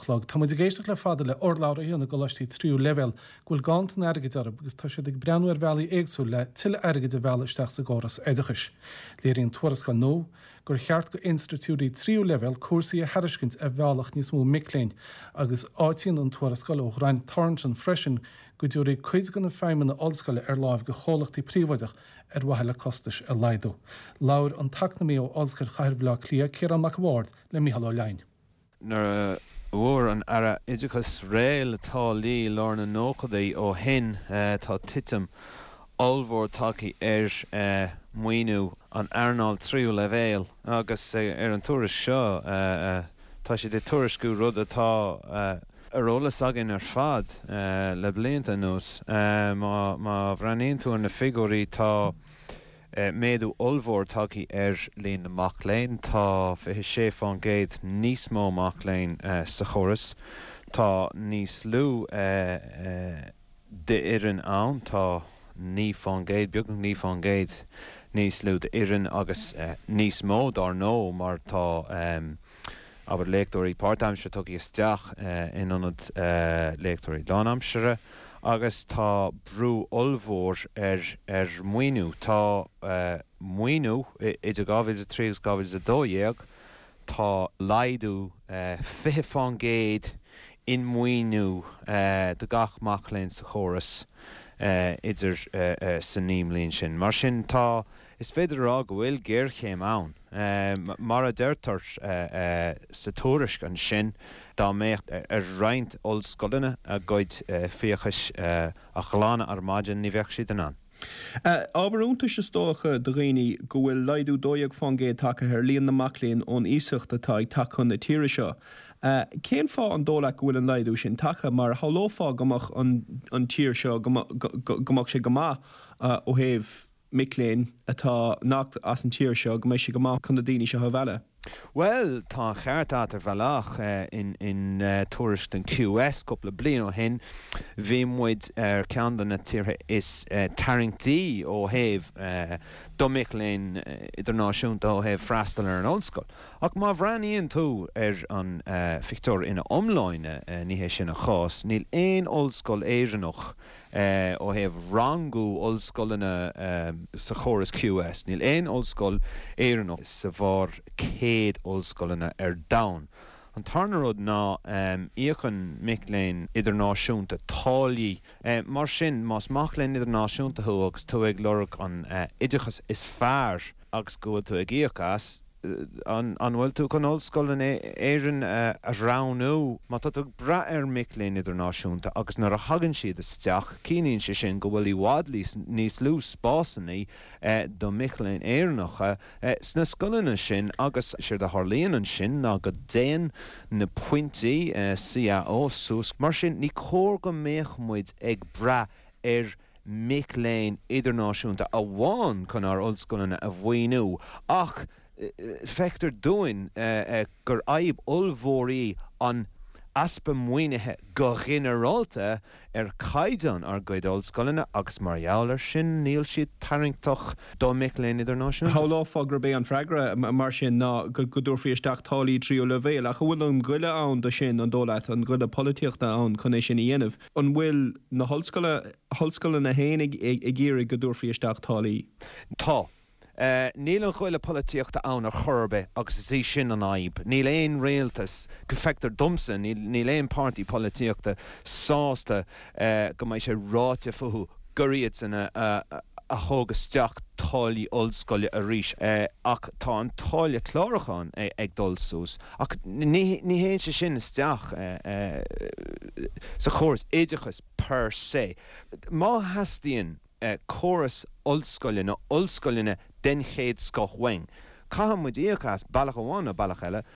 chlog. Tá muid ag éisteacht le fada le urlabhraithe na gcoláistí tríú leibhéal go bhfuil ganntan airgid orthu agus tá siad ag breathnú ar bhealaí éagsúil le tuilleadh airgid a mhealladh isteach sa gcóras oideachais. Léiríonn tuarascáil nua gur cheart go institiúidí tríú leibhéal cúrsaí a thairiscint a mheallfadh níos mó mic léinn agus áitíonn an tuarascáil ó Ghrant Thornton freisin go dtabharfaí cuid de na feidhmeanna ollscoile ar láimh go chomhlachtaí príobháideach ar mhaithe le costais a laghdú. Labhair an t-eacnamaí ó Ollscoil Chathair Bhaile Átha Cliath, Ciarán Mac a' Bhaird, le Mícheál Ó Leidhin. Nuair a fuair an Aire Oideachais réidh le táillí i lár na nóchaidí ó shin, tá titim ollmhór tagtha ar mhaoiniú an earnáil tríú leibhéal agus ar an tuairisc seo tá siad ag tuairisciú rud atá ar eolas againn ar fad le blianta anuas. Má bhreathnaíonn tú ar na figiúirí, tá méadú ollmhór tagtha ar líon na mac léinn, tá 26% níos mó mac léinn sa chóras, tá níos lú d'fhoireann ann, tá 9%, beagnach 9% níos lú d'fhoireann agus níos mó dár ndóigh mar tá abair, léachtóirí páirtaimseartha tugtha isteach in ionad léachtóirí lánaimseartha agus tá brú ollmhór ar ar mhaoiniú. Tá maoiniú idir 2003 agus 2012, tá laghdú 20% in maoiniú do gach mac léinn sa chóras idir sa 9 mbliain sin. Mar sin tá, is féidir a rá go bhfuil géarchéim ann. Mar a deirtear sa tuairisc ansin, dá mbeadh ar roinnt ollscoileanna a gcuid fiachais a ghlanadh ar maidin, ní bheadh siad in ann. Ábhar iontais is dócha do dhaoine go bhfuil laghdú 12% tagtha ar líon na mac léinn ón iasacht atá ag teacht chun na tíre seo. Cén fáth an dóigh leat go bhfuil an laghdú sin tagtha? Mar shamhlófá go mbeadh an tír seo, go mbeadh sé go maith ó thaobh mic léinn atá nach as an tír seo, go mbeidh sé go maith chun na daoine seo a mhealladh. Bhuel, tá an cheart agat ar bhealach. In tuairisc den QS cúpla bliain ó shin, bhí muid ar ceann de na tíortha is tarraingtí ó thaobh do mhic léinn idirnáisiúnta ó thaobh freastal ar an ollscoil. Ach má bhreathnaíonn tú ar an phictiúr ina iomláine, ní hé sin an chás. Níl aon ollscoil Éireannach Ó thaobh rangú ollscoileanna sa chóras QS, níl aon ollscoil Éireannach sa bharr 100 ollscoileanna ar domhan. An tarna rud ná íocann mic léinn idirnáisiúnta táillí. Mar sin, más mac léinn idirnáisiúnta thú agus tú ag lorg an oideachas is fearr agus go bhfuil tú ag íoc as, An bhfuil tú chun ollscoil in Éirinn a roghnú? Má tá tú ag brath ar mhic léinn idirnáisiúnta agus nuair a thagann siad isteach, ciallaíonn sé sin go bhfuil i bhfad níos lú spásanna do mhic léinn Éireannacha sna scoileanna sin agus séard a tharlaíonn ansin ná go dtéann na pointí CAO suas. Mar sin, ní cóir go mbeadh muid ag brath ar mic léinn idirnáisiúnta amháin chun ár ollscoileanna a mhaoiniú ach feictear dúinn gur fhadhb ollmhór í an easpa maoinithe go ginearálta ar chaighdeán ár gcuid ollscoileanna agus mar gheall air sin níl siad tarraingteach do mhic léinn idirnáisiúnta. Shamhlófá gurb é an freagra mar sin ná go dtabharfaí isteach táillí tríú leibhéal ach an bhfuil an goile ann do sin, an dóigh leat, an goile polaitíochta ann chun é sin a dhéanamh? An bhfuil na hollscoileanna féin ag iarraidh go dtabharfaí isteach táillí? Tá. Níl an goile polaitíochta ann ar chor ar bith agus is í sin an fhadhb. Níl aon rialtas, feictear domsa, níl aon páirtí polaitíochta sásta go mbeidh sé ráite fúthu gur iadsan a thóg isteach táillí ollscoile arís. Ach tá an táille clárúcháin ag dul suas. Ach ní théann sé sin isteach sa chóras oideachais per se. Má theastaíonn córas ollscoile nó ollscoileanna den chéad scoth uainn, caithfidh muid íoc as, bealach amháin nó bealach eile.